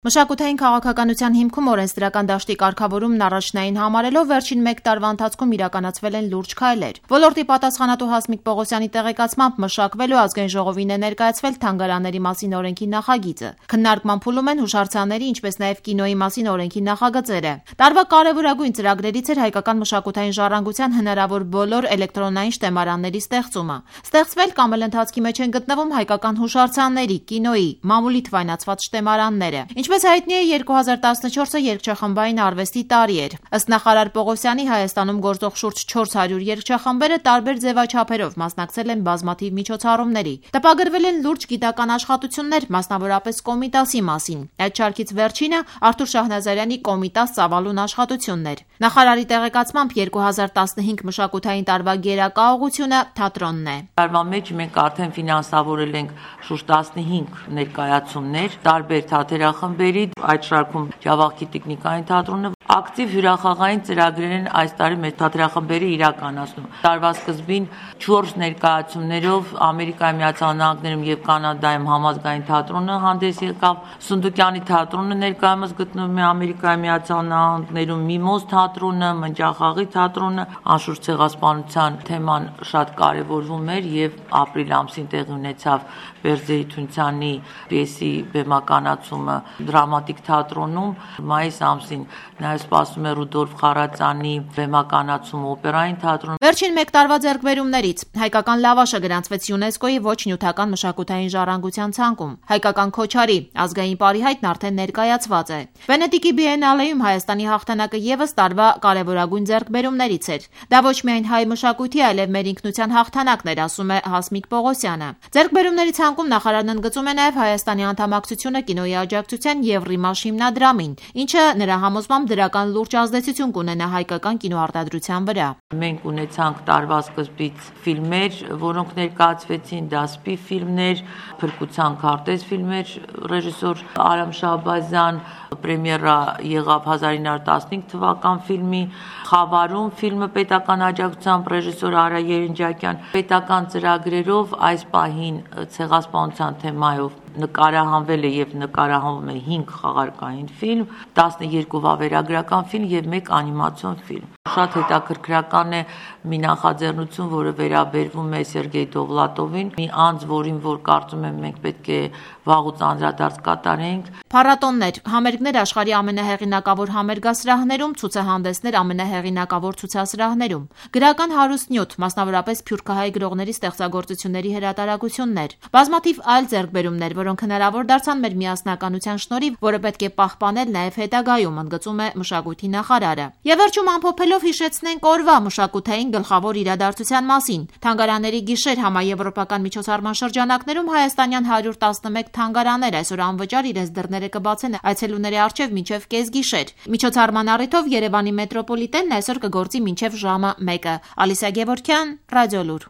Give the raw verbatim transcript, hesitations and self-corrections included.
Մշակութային քաղաքականության հիմքում օրենսդրական դաշտի կարգավորումն առաջնային համարելով վերջին մեկ տարվա ընթացքում իրականացվել են լուրջ քայլեր։ Ոլորտի պատասխանատու Հասմիկ Պողոսյանի տեղեկացմամբ մշակվելու Ազգային ժողովին է ներկայացվել թանգարանների մասին օրենքի նախագիծը։ Քննարկման փուլում են հուշարձանների, ինչպես նաև կինոյի մասին օրենքի նախագծերը։ Տարվա կարևորագույն ծրագրերից էր հայկական մշակութային ժառանգության հնարավոր բոլոր էլեկտրոնային շտեմարանների ստեղծումը։ Ստեղծվել կամ էլ ընթացքի մեջ են գտնվում հայկական հուշարձանների, կինոյի, մամուլի թվայնացված շտեմարանները։ Ինչպես հայտնի է, երկու հազար տասնչորսը երգչախմբային արվեստի տարի էր։ Ըստ նախարար Պողոսյանի, Հայաստանում գործող շուրջ չորս հարյուր երգչախմբերը տարբեր ձևաչափերով մասնակցել են բազմաթիվ միջոցառումների։ Տպագրվել են լուրջ գիտական աշխատություններ, մասնավորապես Կոմիտասի մասին։ Այդ շարքից վերջինը Արթուր Շահնազարյանի Կոմիտաս ծավալուն աշխատությունն էր։ Նախարարի տեղեկացմամբ երկու հազար տասնհինգ մշակութային տարվա գերակաուղությունը թատրոնն է։ Տարվա մեջ մենք արդեն ֆինանսավորել ենք շուրջ տասնհինգ ներկայացումներ, տարբեր թատերախմբերի, այդ շարքում Ջավախքի տեխնիկային թատրոնը ակտիվ հյուրախաղային ծրագրեր են այս տարի մեր թատերախմբերը իրականացնում։ Տարվա սկզբին չորս ներկայացումներով Ամերիկայի Միացյալ Նահանգներում եւ Կանադայում համազգային թատրոնը հանդես եկավ, Սունդուկյանի թատրոնը ներկայումս գտնվում է Ամերիկայի Միացյալ Նահանգներում, Միմոզ թատրոնը, Մնջախաղի թատրոնը, անշուշտ ցեղասպանության թեման շատ կարևորվում էր եւ ապրիլ ամսին տեղի ունեցավ Բերձեի Թունցյանի պիեսի բեմականացումը դրամատիկ թատրոնում, մայիս ամսին նաեւ սպասում է Ռուդոլֆ Խարացյանի բեմականացումը օպերային թատրոնում։ Վերջին մեկ տարվա ձեռքբերումներից հայկական լավաշը գրանցվեց ՅՈՒՆԵՍԿՕ-ի ոչ նյութական մշակութային ժառանգության ցանկում։ Հայկական Քոչարի ազգային պարիհայտն արդեն ներկայացված է։ Վենետիկի բիենալեում Հայաստանի հաղթանակը եւս տարվա կարևորագույն ձեռքբերումներից էր։ Դա ոչ միայն հայ մշակույթի, այլև մեր ինքնության հաղթանակն էր, ասում է Հասմիկ Պողոսյանը։ Ձեռքբերումների ցանկում նախարարն ընդգծում է նաեւ Հայաստանի անդամակցությունը կինոյի աջակցության եւ Ռիմաշ հիմնադրամին, ինչը նրա համոզմամբ դրական լուրջ ազդեցություն կունենա հայկական կինոարտադրության վրա։ Մենք ունեցանք տարվա սկզբից ֆիլմեր, որոնք ներկայացվեցին, դասպի ֆիլմներ, փրկության քարտեզ ֆիլմեր, ռեժիսոր Արամ Շահբազյան, պրեմիերա եղավ հազար ինը հարյուր տասնհինգ թվական ֆիլմի, Խավարում ֆիլմը պետական աջակցությամբ ռեժիսոր Արա Երնջակյան, պետական ծրագրերով այս պահին ցեղասպանության թեմայով նկարահանվել է եւ նկարահանվում է հինգ խաղարկային ֆիլմ, տասներկու վավերագրական ֆիլմ եւ մեկ անիմացիոն ֆիլմ։ Շատ հետաքրքրական է մի նախաձեռնություն, որը վերաբերվում է Սերգեյ Դովլատովին, մի անձ, որին որ կարծում եմ մենք պետք է վաղուց անդրադարձ կատարենք։ Փառատոններ, համերգներ աշխարհի ամենահեղինակավոր համերգասրահներում, ցուցահանդեսներ ամենահեղինակավոր ցուցասրահներում, գրական հարուստ նյութ, մասնավորապես սփյուռքահայ գրողների ստեղծագործությունների հրատարակություններ, բազմաթիվ այլ ձեռքբերումներ, որոնք հնարավոր դարձան մեր միասնականության շնորհիվ, որը պետք է պահպանել նաև հետագայում, ընդգծում է մշակույթի նախարարը։ Եվ վերջում ամփոփելով հիշեցնենք օրվա մշակութային գլխավոր իրադարձության մասին։ Թանգարանների գիշեր համաեվրոպական միջոցառման շրջանակներում հայաստանյան հարյուր տասնմեկ թանգարաններ այսօր անվճար իրենց դռները կբացեն այցելուների առջև մինչև կեսգիշեր։ Միջոցառման առիթով Երևանի մետրոպոլիտենն այսօր կգործի մինչև ժամը մեկը։ Ալիսա Գևորգյան, Ռադիոլուր։